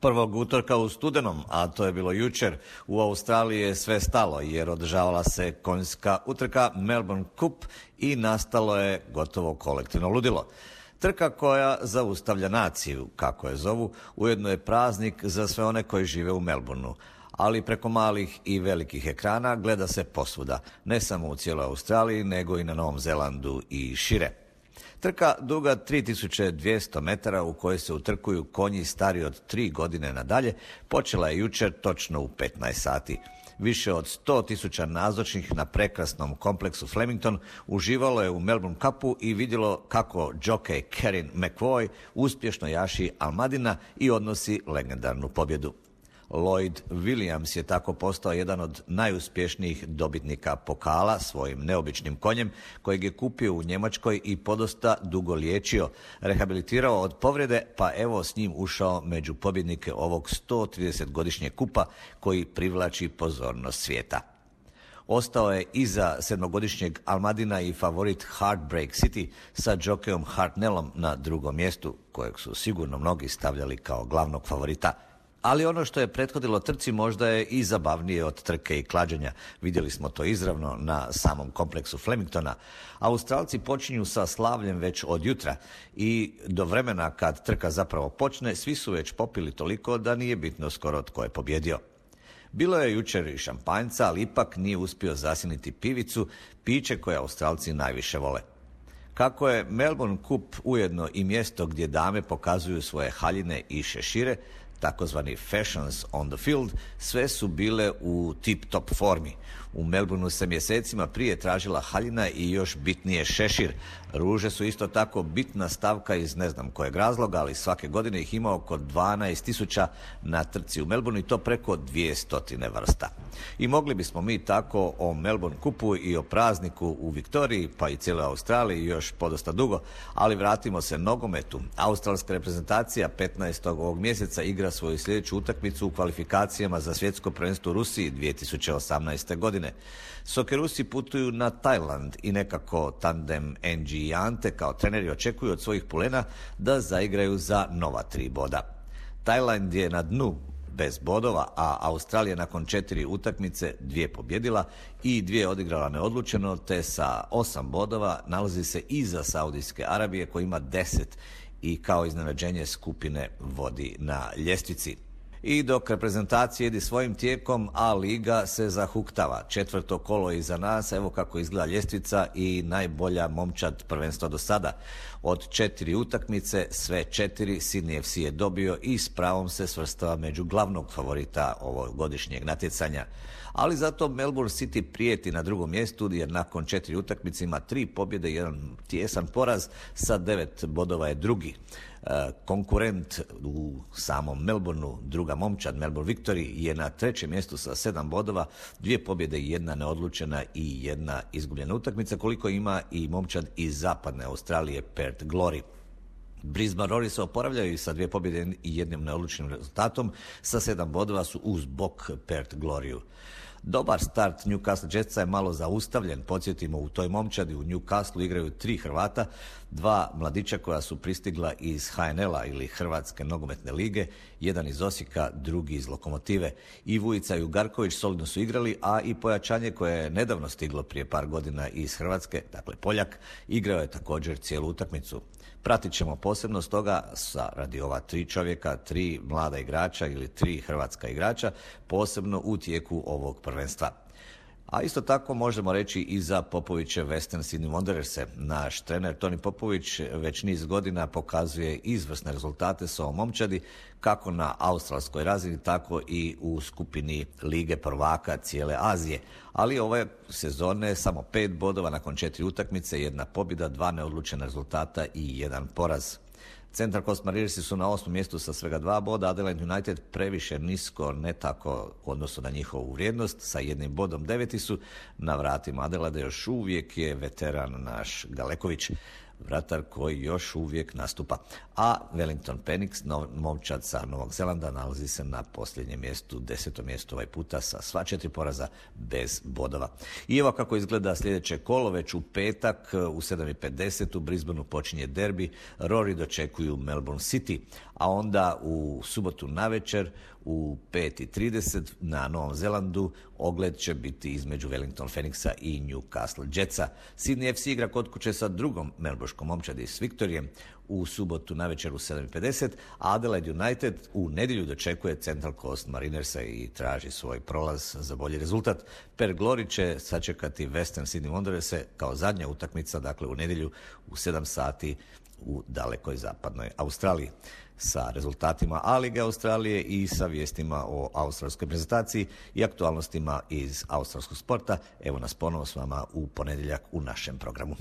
Prvog utorka u studenom, a to je bilo jučer, u Australiji je sve stalo jer održavala se konjska utrka Melbourne Cup i nastalo je gotovo kolektivno ludilo. Trka koja zaustavlja naciju, kako je zovu, ujedno je praznik za sve one koji žive u Melbourneu, ali preko malih i velikih ekrana gleda se posvuda, ne samo u cijeloj Australiji, nego i na Novom Zelandu i šire. Trka duga 3200 metara u kojoj se utrkuju konji stari od 3 godine nadalje počela je jučer točno u 15 sati. Više od 100.000 nazočnih na prekrasnom kompleksu Flemington uživalo je u Melbourne Cupu i vidjelo kako džokej Kerin McVoy uspješno jaši Almadina i odnosi legendarnu pobjedu. Lloyd Williams je tako postao jedan od najuspješnijih dobitnika pokala svojim neobičnim konjem kojeg je kupio u Njemačkoj i podosta dugo liječio, rehabilitirao od povrede pa evo s njim ušao među pobjednike ovog 130-godišnjeg kupa koji privlači pozornost svijeta. Ostao je iza 7-godišnjeg Almadina i favorit Heartbreak City sa džokejom Hartnellom na drugom mjestu, kojeg su sigurno mnogi stavljali kao glavnog favorita. Ali ono što je prethodilo trci možda je i zabavnije od trke i klađenja. Vidjeli smo to izravno na samom kompleksu Flemingtona. Australci počinju sa slavljem već od jutra i do vremena kad trka zapravo počne, svi su već popili toliko da nije bitno skoro tko je pobjedio. Bilo je jučer i šampanjca, ali ipak nije uspio zasjeniti pivicu, piće koje Australci najviše vole. Kako je Melbourne Cup ujedno i mjesto gdje dame pokazuju svoje haljine i šešire, takozvani fashions on the field, sve su bile u tip-top formi. U Melbourneu se mjesecima prije tražila haljina i još bitnije šešir. Ruže su isto tako bitna stavka iz ne znam kojeg razloga, ali svake godine ih ima oko 12.000 na trci u Melbourneu i to preko 200 vrsta. I mogli bismo mi tako o Melbourne Cupu i o prazniku u Viktoriji, pa i cijeloj Australiji još podosta dugo, ali vratimo se nogometu. Australska reprezentacija 15. ovog mjeseca igra svoju sljedeću utakmicu u kvalifikacijama za svjetsko prvenstvo u Rusiji 2018. godine. Sokerusi putuju na Tajland i nekako tandem NG i Ante kao treneri očekuju od svojih pulena da zaigraju za nova 3 boda. Tajland je na dnu bez bodova, a Australija nakon 4 utakmice 2 pobjedila i 2 odigrala neodlučeno, te sa 8 bodova nalazi se iza Saudijske Arabije koja ima 10 i kao iznenađenje skupine vodi na ljestvici. I dok reprezentacija ide svojim tijekom, a liga se zahuktava. 4. kolo je iza nas, evo kako izgleda ljestvica i najbolja momčad prvenstva do sada. Od 4 utakmice, sve 4 Sydney FC je dobio i s pravom se svrstava među glavnog favorita ovog godišnjeg natjecanja. Ali zato Melbourne City prijeti na drugom mjestu jer nakon 4 utakmice ima 3 pobjede i 1 tijesan poraz, sa 9 bodova je drugi. Konkurent u samom Melbourneu, druga momčad Melbourne Victory, je na 3. mjestu sa 7 bodova, 2 pobjede i 1 neodlučena i 1 izgubljena utakmica, koliko ima i momčad iz zapadne Australije Perth Glory. Brisbane Roar se oporavljaju sa 2 pobjede i 1 neodlučenim rezultatom, sa 7 bodova su uz bok Perth Gloryu. Dobar start Newcastle Jetsa je malo zaustavljen, podsjetimo u toj momčadi u Newcastle igraju 3 Hrvata, 2 mladića koja su pristigla iz HNL-a ili Hrvatske nogometne lige, jedan iz Osijeka, drugi iz Lokomotive. I Vujica i Ugarković solidno su igrali, a i pojačanje koje je nedavno stiglo prije par godina iz Hrvatske, dakle Poljak, igrao je također cijelu utakmicu. Pratit ćemo posebno stoga radi ova 3 čovjeka, 3 mlada igrača ili 3 hrvatska igrača, posebno u tijeku ovog prvenstva. A isto tako možemo reći i za Popovićev Western Sydney Wandererse. Naš trener Toni Popović već niz godina pokazuje izvrsne rezultate s ovom momčadi, kako na australskoj razini, tako i u skupini Lige prvaka cijele Azije. Ali ove sezone samo 5 bodova nakon 4 utakmice, 1 pobjeda, 2 neodlučena rezultata i 1 poraz. Central Coast Mariners su na 8. mjestu sa svega 2 boda, Adelaide United previše nisko, ne tako u odnosu na njihovu vrijednost, sa 1 bodom 9. su. Na vratima Adelaide još uvijek je veteran naš Galeković. vratar koji još uvijek nastupa. A Wellington Phoenix, momčad sa Novog Zelanda, nalazi se na posljednjem mjestu, 10. mjestu ovaj puta sa sva 4 poraza bez bodova. I evo kako izgleda sljedeće kolo, već u petak u 7:50 u Brisbaneu počinje derbi, Rory dočekuju Melbourne City, a onda u subotu navečer u 5:30 na Novom Zelandu ogled će biti između Wellington Phoenixa i Newcastle Jetsa. Sydney FC igra kod kuće sa drugom melbourškom momčadi s Victorijem u subotu navečer u 7:50, a Adelaide United u nedjelju dočekuje Central Coast Marinersa i traži svoj prolaz za bolji rezultat. Per Glory će sačekati Western Sydney Wandererse kao zadnja utakmica, dakle u nedjelju u 7 sati u dalekoj zapadnoj Australiji. Sa rezultatima A-lige Australije i sa vijestima o australskoj prezentaciji i aktualnostima iz australskog sporta. Evo nas ponovo s vama u ponedjeljak u našem programu.